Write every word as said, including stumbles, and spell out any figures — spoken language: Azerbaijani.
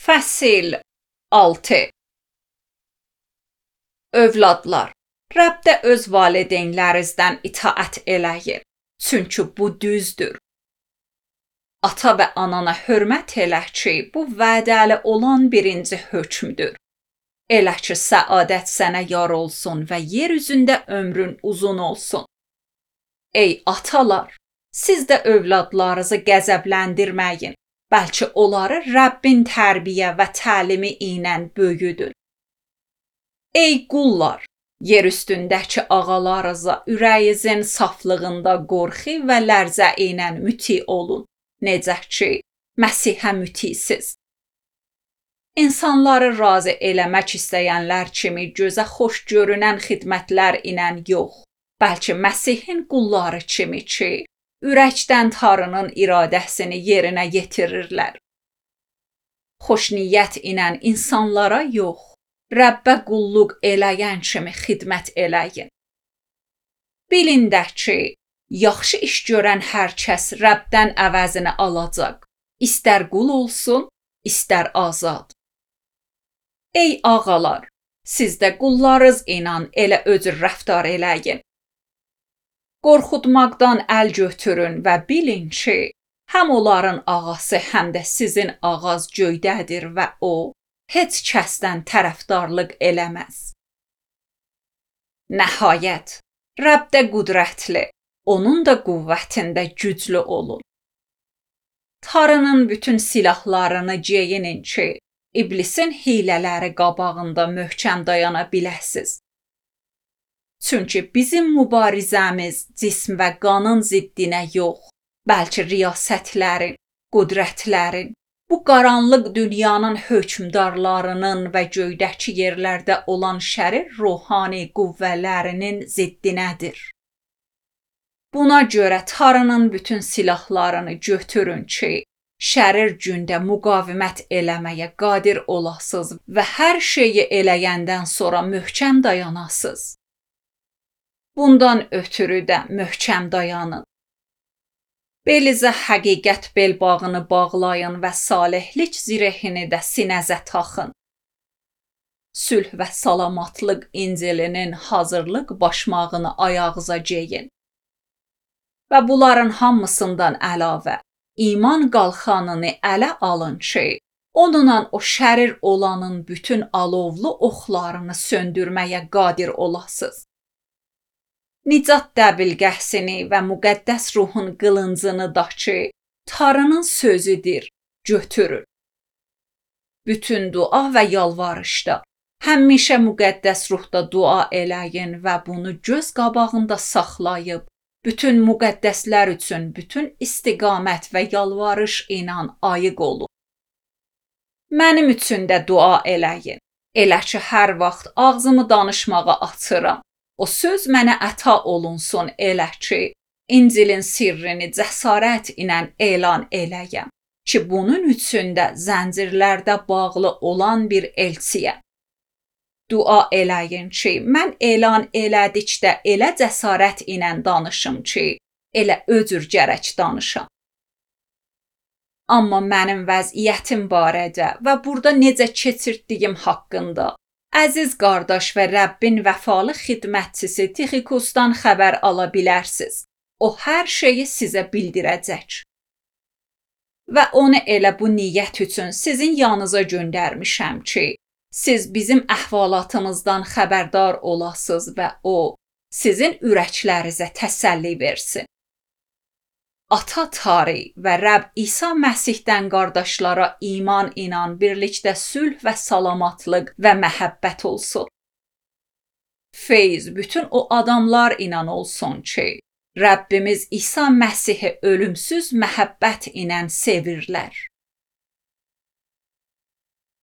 Fəsil altı. Övladlar, Rəbdə öz valideynlərinizdən itaət eləyin, çünki bu düzdür. Ata və anana hörmət elə ki, bu vədəli olan birinci hökmdür. Elə ki, səadət sənə yar olsun və yer üzündə ömrün uzun olsun. Ey atalar, siz də övladlarınızı qəzəbləndirməyin, bəlkə onları Rəbbin tərbiyə və təlimi ilə böyüdün. Ey qullar, yer üstündəki ağalarınıza ürəyinizin saflığında qorxu və lərzə ilə müti olun, necə ki, Məsihə mütisiz. İnsanları razı eləmək istəyənlər kimi gözə xoş görünən xidmətlər ilə yox, bəlkə Məsihin qulları kimi ki, ürəkdən Tanrının iradəsini yerinə yetirirlər. Xoşniyyət ilə insanlara yox, Rəbbə qulluq eləyən kimi xidmət eləyin. Bilin də ki, yaxşı iş görən hər kəs Rəbdən əvəzini alacaq, istər qul olsun, istər azad. Ey ağalar, siz də qullarınız ilə elə öcür rəftar eləyin. Qorxutmaqdan əl götürün və bilin ki, həm onların ağası, həm də sizin ağaz göydədir və o, heç kəsdən tərəfdarlıq eləməz. Nəhayət, Rəbb də qüdrətli, onun da qüvvətində güclü olun. Tanrının bütün silahlarını geyinin ki, İblisin hilələri qabağında möhkəm dayana biləsiz. Çünki bizim mübarizəmiz cism və qanın ziddinə yox, bəlkə riyasətlərin, qüdrətlərin, bu qaranlıq dünyanın hökmdarlarının və göydəki yerlərdə olan şərir ruhani qüvvələrinin ziddinədir. Buna görə Tanrının bütün silahlarını götürün ki, şərir gündə müqavimət eləməyə qadir olasınız və hər şeyi eləyəndən sonra möhkəm dayanasınız. Bundan ötürü də möhkəm dayanın. Belinizə həqiqət belbağını bağlayın və salihlik zirehini də sinəzə taxın. Sülh və salamatlıq İncilinin hazırlıq başmağını ayağınıza geyin. Və bunların hamısından əlavə, iman qalxanını ələ alın ki, onunla o şərir olanın bütün alovlu oxlarını söndürməyə qadir olasınız. Nicat dəbilqəsini və müqəddəs ruhun qılıncını da ki, Tanrının sözüdür, götürün. Bütün dua və yalvarışda, həmişə müqəddəs ruhda dua eləyin və bunu göz qabağında saxlayıb, bütün müqəddəslər üçün bütün istiqamət və yalvarış ilə ayıq olun. Mənim üçün də dua eləyin. Elə ki, hər vaxt ağzımı danışmağa açıram. O söz mənə əta olunsun elə ki, İncilin sirrini cəsarət ilə elan eləyəm ki, bunun üçün də zəncirlərdə bağlı olan bir elçiyəm. Dua eləyin ki, mən elan elədikdə elə cəsarət ilə danışım ki, elə öcür gərək danışam. Amma mənim vəziyyətim barədə və burada necə keçirdiyim haqqında əziz qardaş və Rəbbin vəfalı xidmətçisi Tixikosdan xəbər ala bilərsiz. O hər şeyi sizə bildirəcək. Və onu elə bu niyyət üçün sizin yanınıza göndərmişəm ki, siz bizim əhvalatımızdan xəbərdar olasınız və o, sizin ürəklərinizə təsəlli versin. Ata Tanrı və Rəbb İsa Məsihdən qardaşlara iman ilə birlikdə sülh və salamatlıq və məhəbbət olsun. Feyz bütün o adamlar ilə olsun ki, Rəbbimiz İsa Məsihi ölümsüz məhəbbət ilə sevirlər.